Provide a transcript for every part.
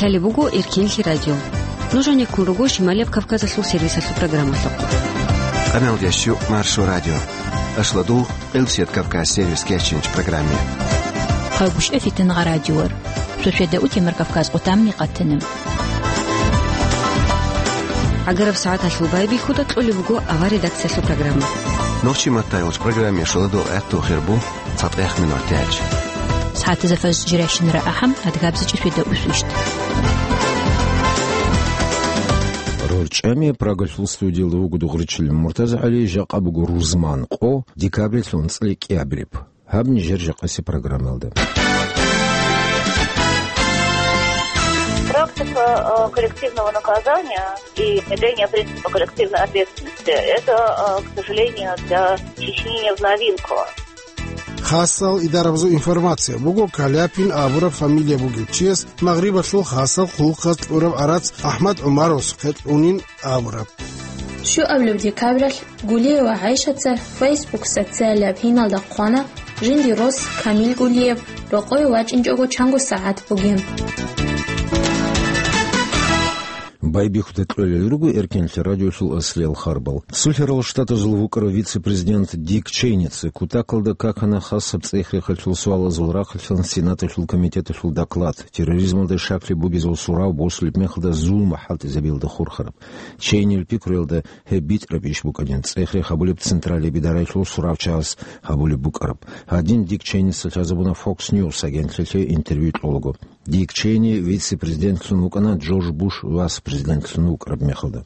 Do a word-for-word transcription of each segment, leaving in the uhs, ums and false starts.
Лъалеб буго Эркенлъи радио. Нуж гьанеккун руго Шималияб Кавказалъул сервисалъул программалъухъ. Къамелдеш Маршо радио. Ашладул, Къилсият Кавказ сервис кечинч программе. Хъагушев Фитнагъа радиор. Суседа утемар Кавказ къутамни къатана. ГӀагараб сагӀаталъул байбихьуда кьолеб буго авар редакциялъул программа. Нохчи маттайолч программе шоладул гӀатту хирбу цатӀех минут тяч. СагӀатазда фаз жиращинара ахӀам адгабзичӀи суседа усвищт. РорчӀами Прагалъул студиялда вуго дугъричилин Муртаза ГӀали, жакъа буго рузман къо, декабрилъун цӀикӀкӀиабилеб. Гьаб нижер жакъаси программалда. Практика, э, коллективного наказания и внедрение принципа коллективной ответственности, это, э, к сожалению, для Чечни не в новинку. Хасал идарабазул информация буго Каляпин абураб фамилия бугев чияс Магърибалъул хасал хъулухъаз кьураб арац АхӀмад ГӀумаровасухъе кьунин абураб. Щуабилеб декабралъ Гулиева ГӀайшаца Facebook социалияб гьиналда хъвана, жиндир рос Камил Гулиев рокъове вачӀинчӀого чанго сагӀат бугин. Байбихьуда кьолел руго Эркенлъи радиолъул аслиял харбал. Сулъарал Штатазул вукӀарав вице-президент Дик Чейница кутакалда какана хасаб цӀех-рехалъул суалазул рахъалъан Сенаталъул комитеталъул доклад, терроризмалда щаклъи бугезул сурав босулеб мехалда зулму хӀалтӀизабиялда хурхараб. Чейнил пикруялда гьеб битӀараб иш букӀанин, цӀех-рех гьабулеб Централияб идараялъул суравчагьас гьабулеб букӀараб. Гьадин Дик Чейница лъазабуна Fox News агентлъилъе интервью кьолаго. Дик Чейни вице-президентлъун вукӀана Джордж Буш вас президентлъун вукӀараб мехалда.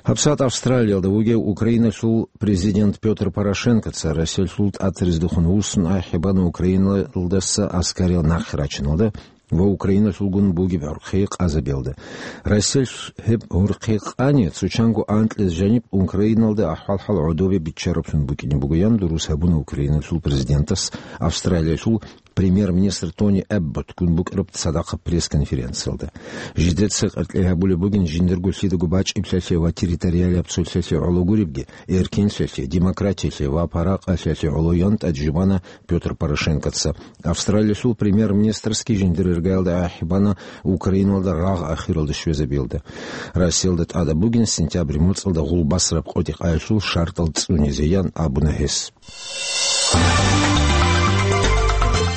ГьабсагӀат Австралиялда вугев Украиналъул президент Пётр Порошенкоца Россиялъул тӀатариздехун вуссун ахӀи бана Украиналдаса аскариял нахъе рачиналда ва Украиналъулгун бугеб гӀурхъи къазабиялда. Россиялъ гьеб гӀурхъи къани, цо чанго анкьиз жаниб Украиналда ахӀвал-хӀал гӀодобе биччараблъун букӀине бугоян дурус гьабуна Украиналъул президентас Австралиялъул премьер-министр Тони Эбботгун букӀараб цадахъаб пресс-конференциялда. Жидеца къеркьей гьабулеб бугин жиндирго лъидаго бачӀиблъиялъе ва территориалияб цолъиялъе гӀоло гуребги, эркинлъиялъе, демократиялъе ва паракъалъиялъе гӀоло ян тӀад жубана Пётр Порошенкоца. Австралиялъул премьер-министрасги жиндир иргаялда ахӀи бана Украиналда рагъ ахиралде щвезабиялда. Россиялда тӀадаб бугин сентябрь моцӀалда гъулбасараб къотӀи-къаялъул шартӀал цӀунизеян абуна гьес.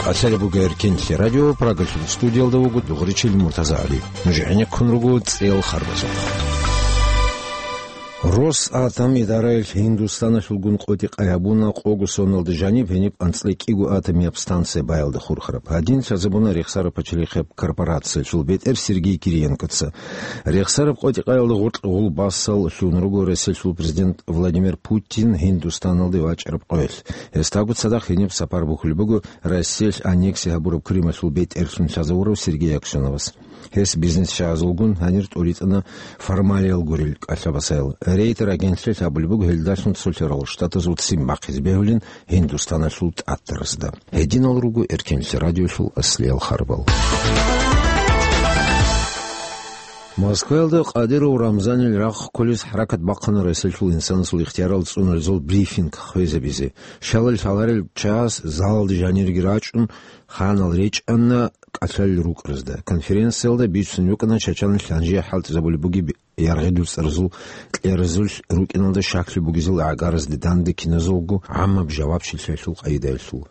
Къасари буго Эркинлъи радио, Прагалъул студиялда вуго дугъричил Муртаза ГӀали. Нуж гӀенеккун руго цӀел харбазухъ. Росатом идараялъ Гьиндустаналъулгун къотӀи-къай гьабуна къого соналда жаниб гьениб анцӀила кӀиго атомияб станция баялда хурхараб. Гьадин лъазабуна Рехсараб пачалихъеб корпорациялъул бетӀер Сергей Кириенкоца. Рехсараб къотӀи-къаялда гъоркь гъулбасал лъун руго Россиялъул президент Владимир Путин Гьиндустаналде вачӀараб къоялъ. Гьесдаго цадахъ гьениб сапар бухьулеб буго Россиялъ аннекси гьабураб Крымалъул бетӀерлъун лъазавурав Сергей Аксеновас. Гьес бизнесчагӀазулгун гьанир тӀуритӀана формалиял гурел кӀалъабасаял. Рейтер агентлъиялъ абулеб буго гьелдалъун цолъарал штатазул ццин бахъизе бегьулин Гьиндустаналъул тӀатаразда. Гьединал руго Эркинлъи радиолъул аслиял харбал. Москваялда Кадыров Рамзанил рагъ кколез хӀаракат бахъана Россиялъул инсанасул ихтиярал цӀунулезул брифинг хвезабизе. Щалал лъаларел час залалда жанирги рачӀун, ханал речӀана кӀалъалел рукӀаразда. Конференциялда бицун букӀана Чачаналъ гьанже хӀалтӀизабулеб бугеб яргъи дуцӀаразул кьеразулъ рукӀиналда щаклъи бугезул гӀагаразде данде киназулго гӀаммаб жавабчилъиялъул къайдаялъул.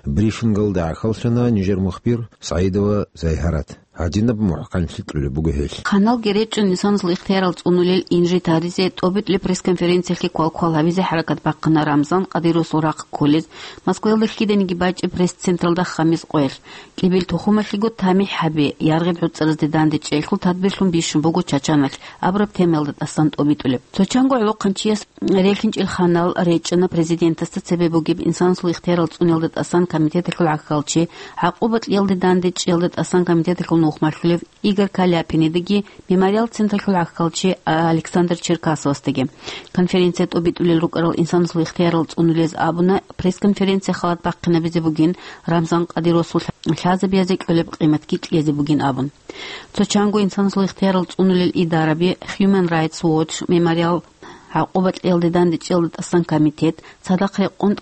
Брифингалда гӀахьаллъана нижер мухбир СагӀидова Зайгьарат. Гьадинаб мухӀканлъи кьулеб буго гьелъ. Ханал геречӀун инсанасул ихтиярал цӀунулел инжит гьаризе тӀобитӀулеб пресс-конференциялъе квалквал гьабизе хӀаракат бахъана Рамзан Кадыровасул рахъ кколез, Москваялда лъиданиги бачӀеб пресс-централда хамис къоялъ. КӀибил тухумалъего тамихӀ гьабе, яргъиб гӀуцӀаразде дандечӀейхъул тадбирлъун бищун буго Чачаналъ абураб темаялда тӀасан тӀобитӀулеб. Цо чанго гӀолохъанчияс релъинчӀел ханал речӀчӀана президентасда цебе бугеб инсанасул ихтиярал цӀуниялда тӀасан комитеталъул гӀахьалчи, гӀакъуба кьиялде дандечӀиялда тӀасан комитеталъул нухмалъулев Игорь Каляпинидеги, Мемориал централъул гӀахьалчи Александр Черкасовасдаги. Конференция тӀобитӀулел рукӀарал инсанасул ихтиярал цӀунулез абуна пресс-конференция халат бахъинабизе бугин, Рамзан Кадыровасул лъазабиязе кьолеб къиматги кьезе бугин абун. Цо чанго инсанасул ихтиярал цӀунулел идараби, Human Rights Watch, Мемориал, гӀакъуба кьиялде дандечӀиялда тӀасан комитет, цадахъ рекъон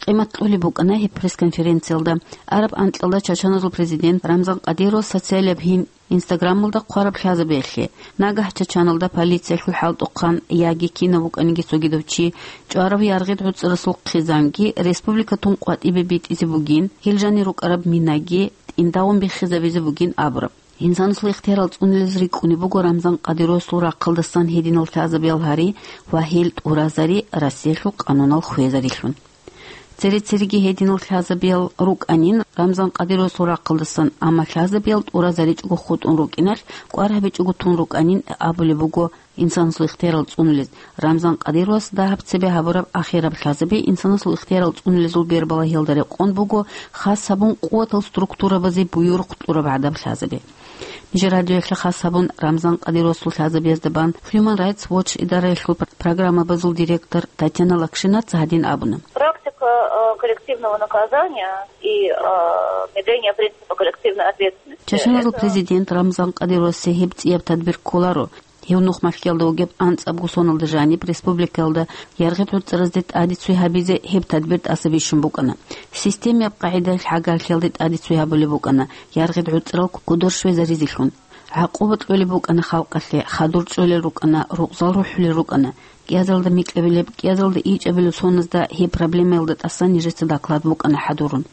къимат кьолеб букӀана гьеб пресс-конференциялда. Араб анкьалда чачаназул президент Рамзан Кадыровас социалияб гьин Инстаграмалда хъвараб лъазабиялъе, нагагь Чачаналда полициялъул хӀалтӀухъан яги кинав вукӀаниги цогидав чи, чӀварав яргъид гӀуцӀрасул хъизанги республикатун къватӀибе битӀизе бугин, гьел жанир рукӀараб минаги тӀимдавун биххизабизе бугин абураб. Инсанасул ихтиярал цӀунулез рикӀкӀунеб буго Рамзан Кадыровасул рахъалдасан гьединал лъазабиял гьари ва гьел тӀуразари Россиялъул къанунал хвезарилъун. Цере-цереги гьединал лъазабиял рукӀанин Рамзан Кадыровасул рахъалдасан, амма лъазабиял тӀуразаричӀого хутӀун рукӀиналъ, кӀвар гьабичӀого тун рукӀанин абулеб буго инсанасул ихтиярал цӀунулез. Рамзан Кадыровас дагьаб цебе гьабураб ахираб лъазаби инсанасул ихтиярал цӀунулезул бербалагьиялда рекъон буго хас гьабун къуватал структурабазе буюрухъ кьураб гӀадаб лъазаби. Нижер радиоялъе хас гьабун Рамзан Кадыровасул лъазабиязда бан Human Rights Watch идараялъул пр-, программабазул директор Татьяна Лакшинаца гьадин абуна. Практика, э, коллективного наказания и, э, внедрения принципа коллективной ответственности. Чачаназул Это президент Рамзан Кадыровасе гьеб цӀияб тадбир кколаро. Гьев нух малъиялда вугеб анцӀабго соналда жаниб республикаялда яргъид гӀуцӀразде тӀадицуй гьабизе гьеб тадбир тӀаса бищун букӀана. Системияб къагӀидаялъ гӀагарлъиялде тӀадицуй гьабулеб букӀана, яргъид гӀуцӀрал кодор щвезаризелъун. ГӀакъуба кьолеб букӀана халкъалъе, хадур чӀолел рукӀана, рукъзал рухӀулел рукӀана. КӀиазалда микьабилеб, кӀиазалда ичӀабилеб соназда гьеб проблемаялда тӀасан нижеца доклад букӀана хӀадурун.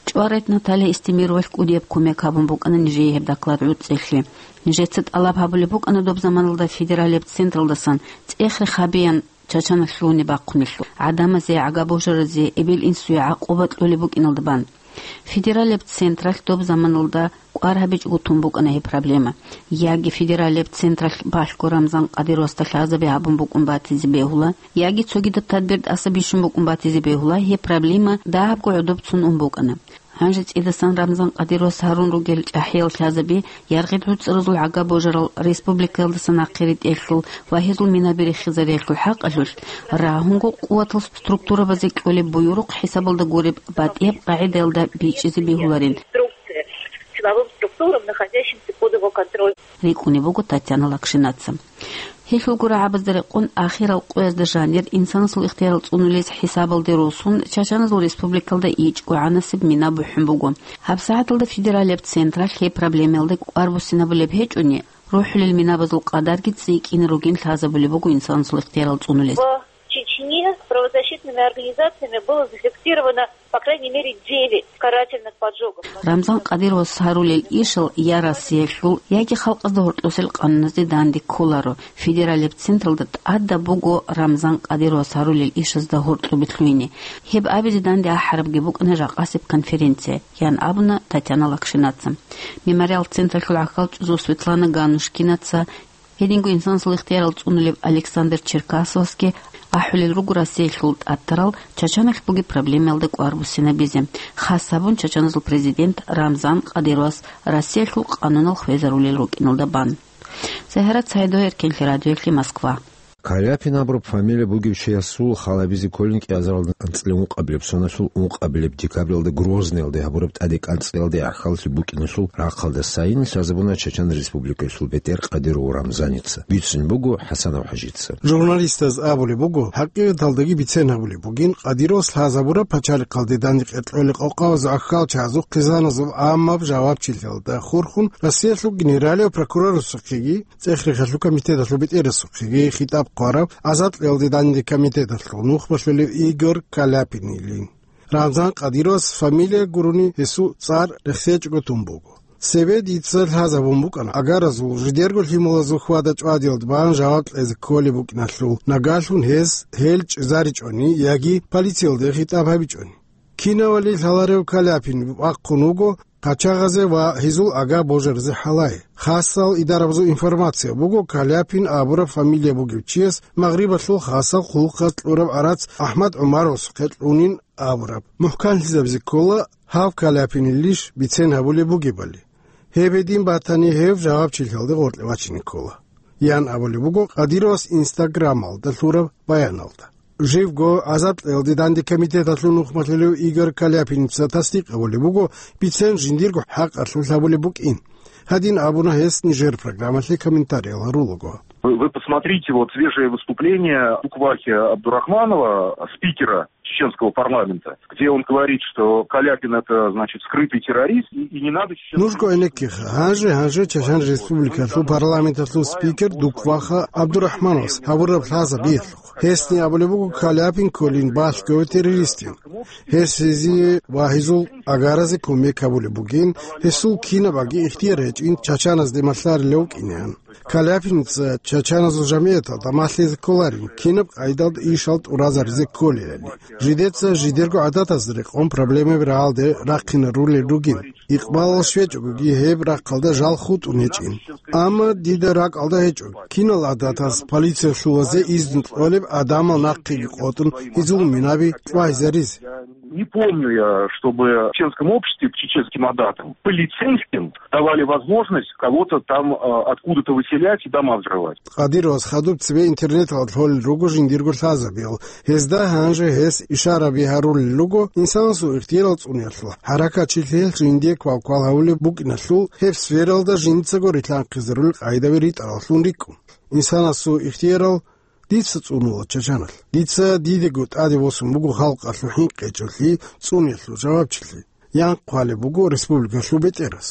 ЧӀварайт Наталья Истемировалъ кӀудияб кумек гьабун букӀана нижее гьеб доклад гӀуцӀелъи. Нижеца тӀалаб гьабулеб букӀана доб заманалда федералияб централдасан цӀех-рех гьабеян Чачаналъ лъугьунеб бахъунелъул, гӀадамазе, гӀага-божаразе, эбел-инсуе гӀакъуба кьолеб букӀиналда бан. Федералияб централъ доб заманалда кӀвар гьабичӀого тун букӀана гьеб проблема. Яги федералияб централъ балъго Рамзан Кадыровасда лъазаби гьабун букӀун батизе бегьула, яги цогидаб тадбир тӀаса бищун букӀун батизе бегьула, гьеб проблема дагьабго гӀодобцун ун букӀана. Гьанже цӀидасан Рамзан Кадыровас гьарун ругел чӀахӀиял лъазаби, яргъид гӀуцӀразул гӀага-божарал республикаялдаса нахъе ритӀелъул ва гьезул минаби рехизариялъул хӀакъалъулъ, рагьунго къуватал структурабазе кьолеб буюрухъ хӀисабалда гуреб батӀияб къагӀидаялда бичӀчӀизе бегьуларин. Инструкция силовым структурам, находящимся под его контролем. РикӀкӀунеб буго Татьяна Лакшинаца. Гьелъул гурагӀабазда рекъон ахирал къоязда жанир инсанасул ихтиярал цӀунулез хӀисабалде росун, Чачаназул республикалда ичӀго гӀанасеб мина бухӀун буго. ГьабсагӀаталда федералияб централъ гьеб проблемаялда кӀвар буссинабулеб гьечӀони, рухӀулел минабазул къадарги цӀикӀкӀине ругин лъазабулеб буго инсанасул ихтиярал цӀунулез. В Чечне правозащитными организациями было зафиксировано, по крайней мере, девять карательных поджогов. Рамзан Кадыровас гьарулел ишал я Россиялъул, яги халкъазда гьоркьосел къануназде данде кколаро. Федералияб централда тӀадаб буго Рамзан Кадыровас гьарулел ишазда гьоркьобе лъугьине. Гьеб абизе данде ахӀарабги букӀана жакъасеб конференция, ян абуна Татьяна Лакшинаца. Мемориал централъул гӀахьалчӀезул Светлана Ганушкинаца, гьединго инсанасул ихтиярал цӀунулев Александр Черкасовасги ахӀулел руго Россиялъул тӀатарал Чачаналъ бугеб проблемаялда кӀвар буссинабизе, хас гьабун Чачаназул президент Рамзан Кадыровас Россиялъул къанунал хвезарулел рукӀиналда бан. Загьарат Саидова, Эркенлъи радиоялъе, Москва. Каляпин абураб фамилия бугев чиясул хал гьабизе кколин кӀиазаралда анцӀила ункъабилеб соналъул ункъабилеб декабралда Грозныйалде гьабураб тӀаде кӀанцӀиялде гӀахьаллъи букӀиналъул рахъалдасайин лъазабуна Чачан Республикалъул бетӀер Кадыров Рамзаница. Бицун буго ХӀасанов ХӀажица. Журналистаз абулеб буго, хӀакъикъаталдаги бицен гьабулеб бугин, Кадыровас лъазабураб пачалихъалде дандекъер кьолел къокъабазул гӀахьалчазул хъизаназул гӀаммаб жавабчилъиялда хурхун Россиялъул генералияв прокурорасухъеги ЦӀех-рехалъул комитеталъул бетӀерасухъеги хитӀаб хъварав, азадлъиялде данде комитеталъул нухмалъулев Игорь Каляпинилин. Рамзан Кадыровас фамилия гурони гьесул цӀар рехсечӀого тун буго. Цебе дица лъазабун букӀана, агаразул жидерго лъималазул хьвада-чӀвадиялда бан жаваб кьезе кколеб букӀиналъул, нагалъун гьес гьел чӀезаричӀони яги полициялде хитӀаб гьабичӀони. Кинавали лъаларев Каляпин бахъун вуго къачагъазе ва гьезул ага-божаразе хӀалае. Хасал идарабазул информация буго, Каляпин абураб фамилия бугев чияс Магърибалъул хасал хъулухъаз кьураб арац АхӀмад ГӀумаровасухъе кьунин абураб. МухӀканлъизабизе ккола, гьав Каляпинилищ бицен гьабулеб бугебали. Гьеб гьедин батани, гьев жавабчилъиялде гъоркье вачине ккола, ян абулеб буго Кадыровас Инстаграмалда лъураб баяналда. Живго азадлъиялде данде комитеталъул нухмалъулев Игорь Каляпиница тасдикъ гьабулеб буго бицен жиндирго хӀакъалъулъ гьабулеб букӀин. Гьадин абуна гьес нижер программалъе комментариял гьарулаго. Вы, вы посмотрите вот свежее выступление Дуквахи Абдурахманова, спикера чеченского парламента, где он говорит, что Каляпин — это, значит, скрытый террорист, и, и не надо чеченцам... Нужго гӀенеккиха, гьанже, гьанже Чечен Республикалъул парламенталъул спикер Дукваха Абдурахмановас гьабураб лъазабиялъухъ. Гьесни абулеб буго, Каляпин кколин балъгояв террористин. Гьес гьезие ва гьезул агаразе кумек гьабулеб бугин, гьесул кинабаги ихтияр гьечӀин чачаназде малъарилев вукӀинегӀан. Каляпиница чачаназул жамигӀаталда малъизе кколарин, кинаб къайдалда ишал тӀуразаризе кколелали. Жидеца жидерго гӀадатазда рекъон проблемаби рагӀалде рахъинарулел ругин. Икъбалал щвечӀогоги гьеб рахъалда жал хутӀун гьечӀин. Амма дида ракӀалда гьечӀо, кинал гӀадатаз полициялъулазе изну кьолеб, гӀадамал нахъеги къотӀун, гьезул минаби чӀвагьизаризе. Не помню я, чтобы в чеченском обществе к чеченским адатам полицейским давали возможность кого-то там, а, откуда-то выселять и дома взрывать. Къадировас хадуб цебе интернеталда лъолел руго жиндирго лъазабиял. Гьезда гьанже гьес ишараби гьарулел руго инсанасул ихтиярал цӀуниялъул. ХӀаракатчилъиялъ жиндие квалквал гьавулеб букӀиналъул, гьеб сфералда жинцаго рилъанхъизарулел къайдаби ритӀараллъун рикӀкӀун. Инсанасул ихтиярал дица цӀунула чачаналъ. Дица дидего тӀаде босун буго халкъалъул хӀинкъичӀелъи, цӀуниялъул жавабчилъи. Янхъ хъвалеб буго республикалъул бетӀерас.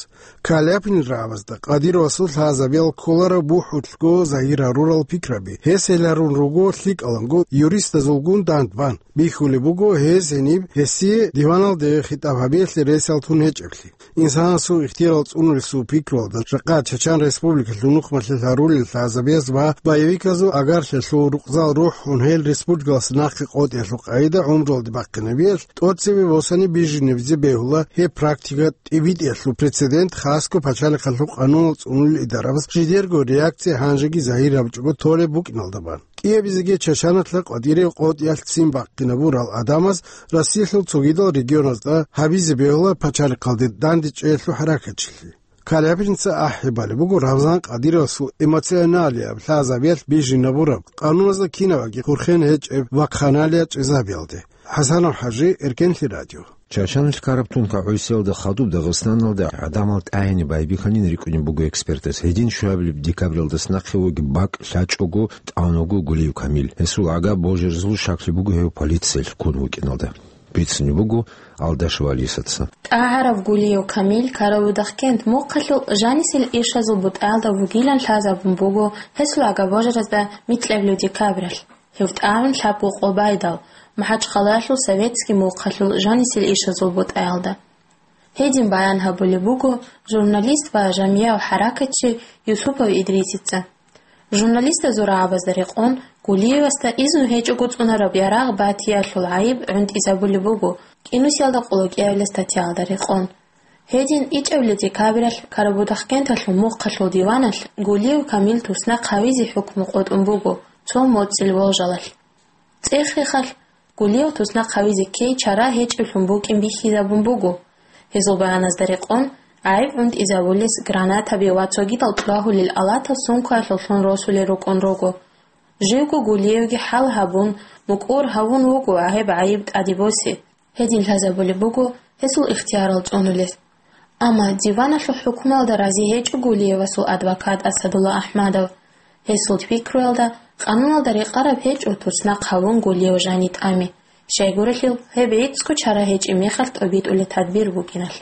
Каляпин рагӀабазда Къадировасул лъазабиял кколараб бухӀулъго загьир гьарурал пикраби. Гьес гьел гьарун руго лъикӀаланго юристазулгун дандбан. Бихьулеб буго гьез гьениб гьесие диваналде хитӀаб гьабиялъе ресал тун гьечӀеблъи. Инсанасул ихтиярал цӀунулесул пикруялда жакъа Чечен Республикалъул нухмалъе гьарулел лъазабияз ва боевиказул агарлъиялъул рукъзал рухӀун гьел республикалъ нахъе къотӀиялъул къайда гӀумруялде бахъинабиялъ тӀоцебе босани бижинабизе бегьула гьеб практика. ТӀибитӀиялъул прецедент хасго пачалихъалъул къануналъ цӀунулел идарабаз жидерго реакция гьанжеги загьир гьабичӀого толеб букӀиналда бан. КӀиабизеги чачаналъа къватӀире къотӀиялъ ццин бахъинабурал гӀадамаз Россиялъул цогидал регионазда гьабизе бегьула пачалихъалде дандечӀеялъул хӀаракатчилъи. Каляпинца ахӀи балеб буго Рамзан Къадировасул эмоционалияб лъазабиялъ бижинабураб, къануназда кинабаги хурхен гьечӀеб вахъаналия чӀезабиялде. ХӀасанов ХӀажи, Эркенлъи радио. Чачаналъ ккараб тункагӀусиялда хадуб Дагъистаналда гӀадамал тӀагӀине байбихьанин рикӀкӀунеб буго экспертаз. Гьедин щуабилеб декабралдас нахъе вугеб бакӀ лъачӀого тӀамун вуго Гулиев Камил. Гьесул агар божаразул щаклъи буго гьев полициялъ ккун вукӀиналда. Бицунеб буго Алдашев Алисаца. ТӀагӀараб Гулиев Камил ккараб Удахкент мухъалъул жанисел ишазул бутӀаялда вугилан лъазабун буго гьесул агар божаразда микьабилеб декабралъ. Гьев тӀагӀун лъабго къо байдал, МахӀачхъалаялъул Советский мухъалъул жанисел ишазул бутӀаялда. Гьедин баян гьабулеб буго журналист ва жамигӀав хӀаракатчи Юсупов Идрисица. Журналистазул рагӀабазда рекъон, Гулиевасда изну гьечӀого цӀунараб ярагъ батиялъул гӀайиб гӀунтӀизабулеб буго кӀинусиялда къуллукӀиялда статьяялда рекъон. Гьедин ичӀабилеб декабралъ Карабудахкенталъул мухъалъул диваналъ Гулиев Камил туснахъ гьавизе хӀукму къотӀун буго цо моцӀил волжалалъ. ЦӀех-рехалъ Гулиев туснахъ гьавизе ккей чара гьечӀеблъун букӀин бихьизабун буго. Гьезул баяназда рекъон, гӀайиб гӀунтӀизабулес гранатаби ва цогидал чӀвагьулел алатал сумкаялъуллъун росулел рукӀун руго. Живго Гулиевги хӀал гьабун, мукӀур гьавун вуго гьеб гӀайиб тӀаде босе. Гьедин лъазабулеб буго гьесул ихтиярал цӀунулес. Амма диваналъул хӀукмуялда рази гьечӀо Гулиевасул адвокат Асадулла АхӀмадов. Гьесул пикруялда, къануналда рекъараб гьечӀо туснахъ гьавун Гулиев жани тӀами, щайгурелъул гьеб гӀицӀго чара гьечӀеб мехалъ тӀобитӀулеб тадбир букӀиналъ.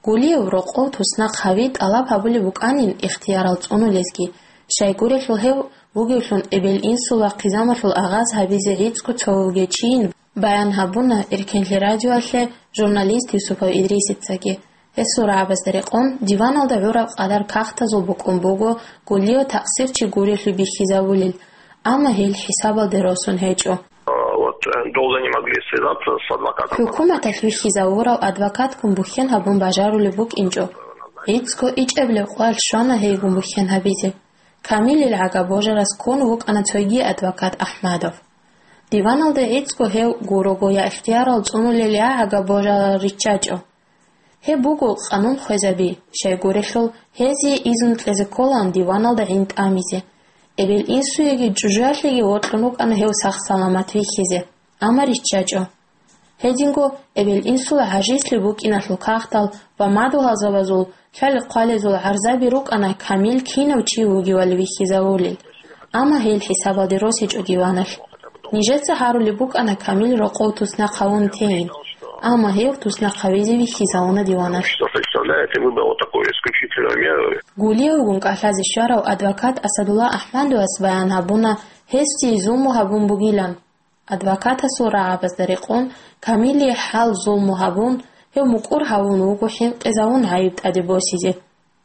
Гулиев рокъов туснахъ гьави тӀалаб гьабулеб букӀанин ихтиярал цӀунулезги, щайгурелъул гьев вугевлъун эбел-инсул ва хъизамалъул агъаз гьабизе гӀицӀго цо вугев чийин, баян гьабуна Эркенлъи радиоялъе журналист Юсупов Идрисицаги. Гьесул рагӀабазда рекъон, диваналда гӀураб къадар кагътазул букӀун буго Гулиев такъсирчи гурелъул бихьизабулел, амма гьел хӀисабалде росун гьечӀо. Вот, э, долго не могли связаться с адвокатом. ХӀукуматалъ вихьизавурав адвокатгун бухьен гьабун бажарулеб букӀинчӀо. ГӀицӀго ичӀабилеб къоялъ щвана гьейгун бухьен гьабизе. Камилил гӀага божарас ккун вукӀана цоги адвокат АхӀмадов. Диваналда гӀицӀго гьев гурого я ихтиярал цӀунулел, я гӀага божарал риччачӀо. Гьеб буго къанун хвезаби, щайгурелъул гьезие изну кьезе кколаан диваналда гӀин тӀамизе. Эбел-инсуеги чӀужуялъеги вокьун вукӀана гьев сах-саламат вихьизе, амма риччачӀо. Гьединго эбел-инсул гӀажизлъи букӀиналъул кагътал ва мадугьалзабазул лъали-хъвалезул гӀарзаби рукӀана Камил кинав чи вугевали вихьизавулел. Амма гьел хӀисабалде росичӀо диваналъ. Нижеца гьарулеб букӀана Камил рокъов туснахъ гьавун тейин, амма гьев туснахъ гьавизе вихьизавуна диваналъ. Что представляет и выбрал такую исключительную меру. Гулиевгун кӀалъазе щварав адвокат Асадулла Ахмадовас баян гьабуна, гьесие зулму гьабун бугилан. Адвокатасул рагӀабазда рекъон, Камилие хӀал зулму гьабун, гьев мукӀур гьавун вуго хӀинкъизавун гӀайиб тӀаде босизе.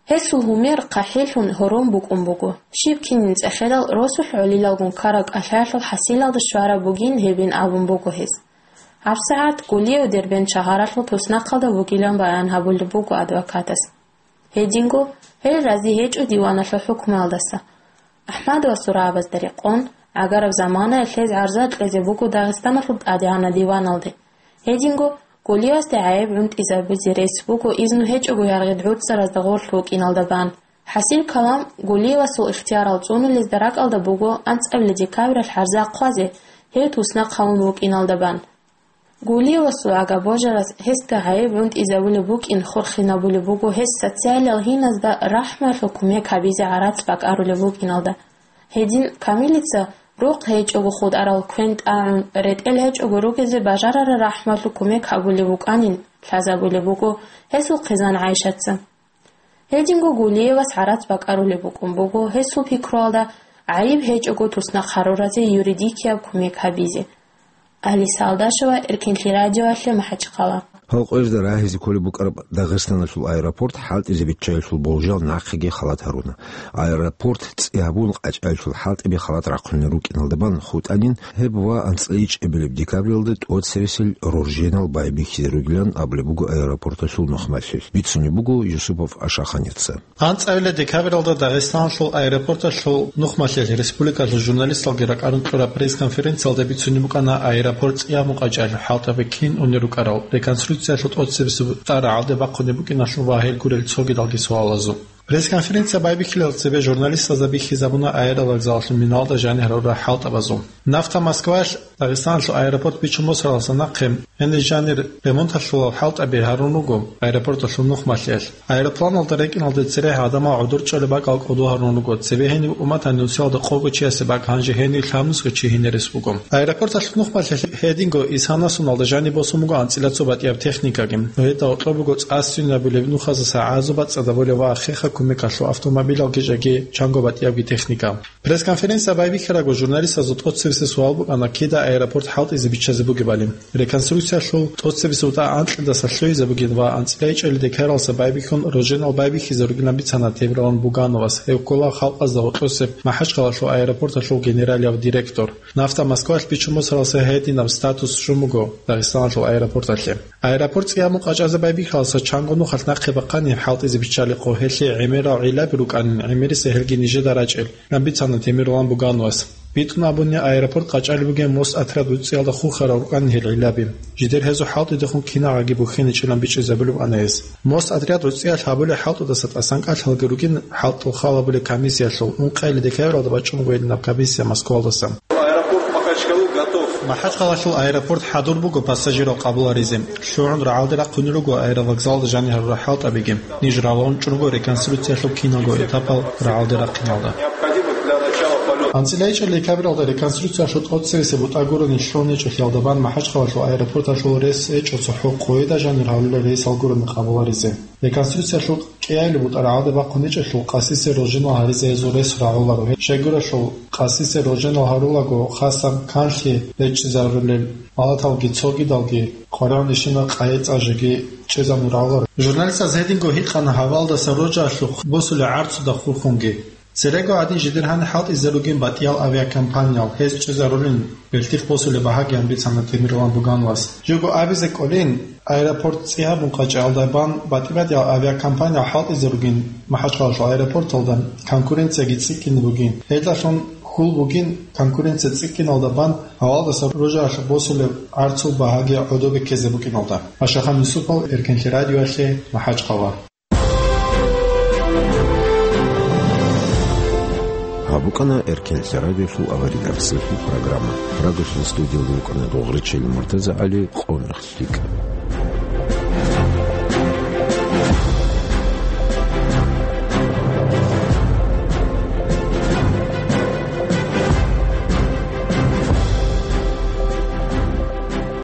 Гьесул гьумер хъахӀилъун гьорон букӀун буго. Щиб кинин цӀехедал росулъ гӀолилалгун ккараб кӀалъаялъул хӀасилалда щвараб бугин гьебин абун буго гьес. ГьабсагӀат Гулиев Дербент шагьаралъул туснахъалда вугилан баян гьабулеб буго адвокатас. Гьединго, гьел рази гьечӀо диваналъул хӀукмуялдаса. Ахмадовасул рагӀабазда рекъон, гӀагараб заманаялъ гьез гӀарза кьезе буго Дагъистаналъул ТӀадегӀанаб диваналде. Гьединго, Гулиевасде гӀайиб гӀунтӀизабизе рес буго изну гьечӀого яргъи гӀуцӀаразда гъорлъ вукӀиналда бан. ХӀасил калам, Гулиевасул ихтиярал цӀунулезда ракӀалда буго анцӀабилеб декабралъ гӀарза хъвазе, гьев туснахъ гьавун вукӀиналда бан. Гулиевасул агабожарас гьесда гӀайиб гӀунтӀизабулеб букӀин хурхинабулеб буго гьес социалиял гьиназда рахӀмуялъул кумек гьабизе гӀарац бакӀарулеб букӀиналда. Гьедин Камилица рухъ гьечӀого хутӀарал квен тӀагӀун, ретӀел гьечӀого ругезе бажарараб рахӀмуялъул кумек гьабулеб букӀанин лъазабулеб буго гьесул хъизан ГӀайшаца. Гьединго Гулиевас гӀарац бакӀарулеб букӀун буго гьесул пикруялда гӀайиб гьечӀого туснахъ гьаруразе юридикияб кумек гьабизе. Алиса Алдашева, Эркенлъи радиоялъе, МахӀачхъала. Гьал къоязда рагьизе кколеб букӀараб Дагъистаналъул аэропорт хӀалтӀизе биччаялъул болжал нахъеги халат гьаруна. Аэропорт цӀи гьабун къачӀаялъул хӀалтӀиби халат рахъунел рукӀиналда бан хутӀанин гьеб ва анцӀила ичӀабилеб декабралда тӀоцебесел рорженал байбихьизе ругилан абулеб буго аэропорталъул нухмалъилъ, бицунеб буго Юсупов Ашаханица. АнцӀабилеб декабралда Дагъистаналъул аэропорталъул нухмалъилъ республикалъул журналисталги ракӀарун кьураб пресс-конференциялда бицунеб букӀана аэропорт цӀи гьабун къачӀаялъул хӀалтӀаби кин унел рукӀарал, реконструкциялъул тӀоцебесеб бутӀа рагӀалде бахъунеб букӀиналъул ва гьел гурел цогидалги суалазул. Пресс-конференция байбихьилел цебе журналистазда бихьизабуна аэровокзалалъул миналда жанир гьарурал хӀалтӀабазул. Нафта Москваялъ Дагъистаналъул аэропорт бичун босаралдаса нахъе гьениб жанир ремонталъулал хӀалтӀаби гьарун руго аэропорталъул нухмалъиялъ. Аэропланалда рекӀиналде церехӀ гӀадамал гӀодор чӀолеб бакӀал кӀодо гьарун руго, цебе гьениб умматалъ нусиялда къого чиясе бакӀ, гьанже гьениб лъабнусго чи гьинерес буго. Аэропорталъул нухмалъиялъ гьединго исгьанасуналда жаниб босун буго анцӀила цо батӀияб техникаги. Гьелда гьоркьоб буго цӀа-, сценабулеб нухазаса гӀазаб бацӀцӀадабулеб ва хеха кумекалъул автомобилалги жеги чанго батӀиябги техника. Пресс-конференция байбихьарабго журналистазул тӀоцебесеб суал букӀана, кида аэропорт хӀалтӀизе биччазе бугебали. Реконструкциялъул тӀоцебесеб бутӀа анкьидаса лъугьизе бугин ва анцӀила ичӀабилеб декабралдаса байбихьун рорженал байбихьизе ругилан бицана Темирлан Бугановас, гьев ккола халкъазда гьоркьосеб МахӀачхъалалъул аэропорталъул генералияв директор. Нафта Москваялъ бичун босаралдаса гьединаб статус щун буго Дагъистаналъул аэропорталъе. Аэропорт цӀи гьабун къачӀазе байбихьаралдаса чанго нухалъ нахъе бахъани хӀалтӀизе биччалихъо, гьелъие гӀемерал гӀиллаби рукӀанин, гӀемериса гьелги нижеда рачӀел, бицана Темирлан Бугановас. БитӀун абуни, аэропорт къачӀалеб бугеб Мосотряд гӀурцӀиялда хурхарал рукӀанин гьел гӀиллаби. Жидер гьезул хӀалтӀидехун кинагӀаги бухьиничӀилан бичӀчӀизабулеб ана гьес. Мосотряд гӀурцӀиялъ гьабулеб хӀалтӀудаса тӀасан кӀалъалги ругин хӀалтӀул хал гьабулеб комиссиялъул, ункъабилеб декабралда бачӀун бугоилинаб комиссия Москвалдаса. Аэропорт Махачкалы готов. МахӀачхъалалъул аэропорт хӀадур буго пассажирал къабуларизе. ЛъугӀун рагӀалде рахъунел руго аэровокзалда жанир гьарурал хӀалтӀабиги. Ниж ралгӀунчӀого реконструкциялъул киналго этапал рагӀалде рахъиналда. АнцӀила ичӀабилеб декабралда реконструкциялъул тӀоцебесеб бутӀа гурони лъугьунечӀолъиялда бан МахӀачхъалалъул аэропорталъул рес гьечӀо цохӀо къояда жанир гьарулел рейсал гурони къабуларизе. Реконструкциялъул кӀиабилеб бутӀа рагӀалде бахъунечӀелъул къасисе рорженал гьаризе гьезул рес рагӀуларо. Щайгурелъул къасисе рорженал гьарулаго хасаб канлъи речӀчӀизарулел малаталги цогидалги къваригӀунищина къайи-цӀа жеги чӀезабун рагӀуларо. Журналистаз гьединго гьикъана гьавалдаса роржиялъухъ босулеб гӀарцуда хурхунги. Церего гӀадин жидер гьаниб хӀалтӀизе ругин батӀиял авиакомпаниял, гьез чӀезарулин бертихъ босулеб багьагиян бицана Темирлан Бугановас. Живго абизе кӀолин, аэропорт цӀи гьабун къачӀалда бан батӀи-батӀиял авиакомпаниял хӀалтӀизе ругин МахӀачхъалалъул аэропорталда, конкуренцияги цӀикӀкӀине бугин. Гьелдалъун хьул бугин конкуренция цӀикӀкӀиналда бан гьавалдаса роржиялъухъ босулеб гӀарцул багьаги гӀодобе ккезе букӀиналда. Ашахан Юсупов, Эркенлъи радиоялъе, МахӀачхъала. Гьаб букӀана Эркенлъи радиолъул аварагасдалъул программа. Радиолъул студиялда вукӀана Дугъричил МуртазагӀали, Къо-,